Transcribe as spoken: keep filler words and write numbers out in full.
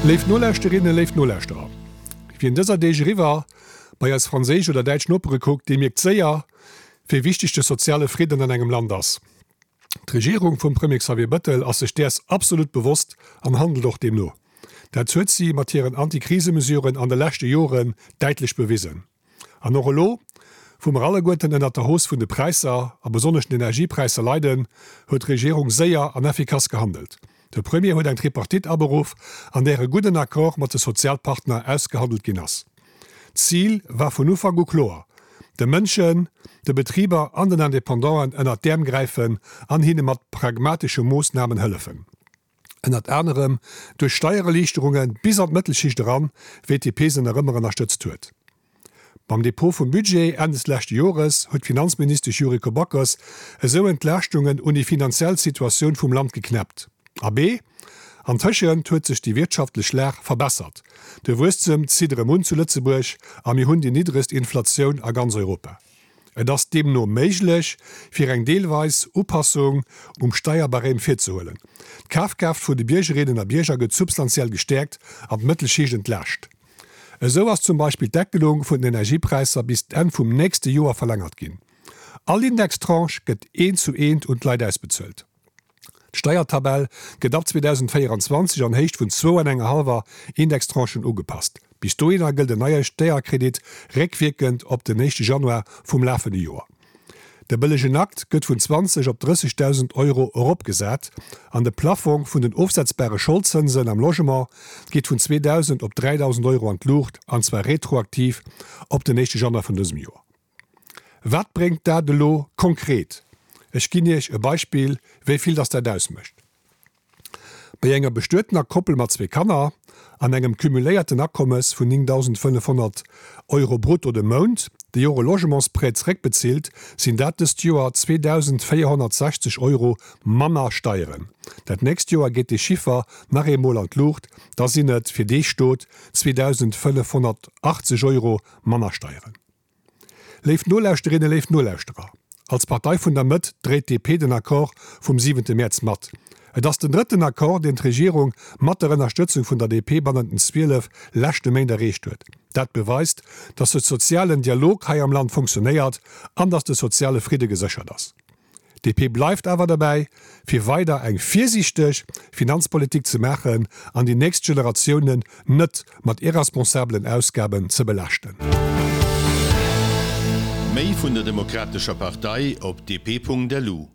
Léif Nolauschterinnen, léif Nolauschterer, wien dëser Deeg eriwwer bei eis franséisch oder däitsch Nopere kuckt, dee mierkt séier, wéi wichteg de soziale Fridden an engem Land ass. D'Regierung vum Premier Xavier Bettel ass sech däers absolut bewosst an handelt och deemno. Dat huet si mat hiren Antikrisemesuren an de leschte Joren däitlech bewisen. An och elo, wou mer alleguerten ënnert der Hausse vun de Präisser, a besonnesch den Energiepräisser leiden, huet d'Regierung séier an effikass gehandelt. De Premier huet eng Tripartite aberuff, an där e gudden Accord mat de Sozialpartner ausgehandelt ginn ass. D'Zil war vun Ufank u kloer, De Mënschen, de Betriber an den Independanten ënnert d'Äerm gräifen an hinne mat pragmatesche Moossnamen hëllefen. Ënnert anerem duerch Steiererliichterunge bis an d'Mëttelschicht eran, wéi d'DP se nach ëmmer ënnerstëtzt huet. Beim Depot vum Budget Enn des leschte Jores huet d'Finanzministesch Yuriko Backes esou Entlaaschtungen un déi finanziell Situatioun vum Land geknäppt. Abee, antëschent huet sech déi wirtschaftlech Lag verbessert, de Wuesstem zitt erëm un zu Lëtzebuerg a mir hunn déi niddregst Inflatioun a ganz Europa. Et ass deemno méiglech, fir eng deelweis Upassung um Steierbarème virzehuelen. D'Kafkraaft vun de Biergerinnen a Bierger gëtt substantiell gestäerkt an d'Mëttelschicht entlaascht. Esou ass zum Beispill d'Deckelung vun den Energiepräisser bis d'Enn vum nächste Joer verlängert ginn. All Indextranche gëtt eent zu eent un d'Leit ausbezuelt. D'Steiertabell gëtt ab zweedausendvéierenzwanzeg an Héicht vun zwou an enger hallwer Indextranchen ugepasst. Bis dohinner gëllt en neie Steierkredit réckwierkend op den éischte Januar vum lafende Joer. De bëllegen Akt gëtt vun zwanzeg op drëssegdausend Euro eropgesat an de Plaffong vun den ofsetzbare Scholdzënsen am Logement geet vun zweedausend op dräidausend Euro an d'Luucht, an zwar retroaktiv op den éischte Januar vun dësem Joer. Wat bréngt dat elo konkret? Ech ginn Iech e Beispill, wéi vill dass dat ausmécht. Bei enger bestuetener Koppel mat zwee Kanner an engem cumuléierten Akommes vun néngdausendfënnefhonnert Euro brutto de Mount, déi och e Logementsprêt zeréckbezilt, sinn dat dëst Joer zweedausendvéierhonnertsechzeg Euro manner Steieren. Dat nächst Joer geet dee Chiffer nach eemol an d'Luucht, da sinn et fir dee Stot zweedausendfënnefhonnertachtzeg Euro manner Steieren. Léif Nolauschterinnen, léif Nolauschterer, als Partei vun der Mëtt dréit d'DP den Accord vum siwente Mäerz mat. Et ass den drëtten Accord, deen d'Regierung mat der Ënnerstëtzung vun der D P bannent den zwielef leschte Méint erreecht huet. Dat beweist, datt de sozialen Dialog hei am Land funktionéiert an datt de soziale Fridde geséchert ass. D P bleift awer derbäi, fir weider eng virsiichteg Finanzpolitik ze maachen an déi nächst Generatiounen net mat irresponsabelen Ausgaben ze belaaschten. Méi vun der Demokratescher Partei op D P Punkt L U.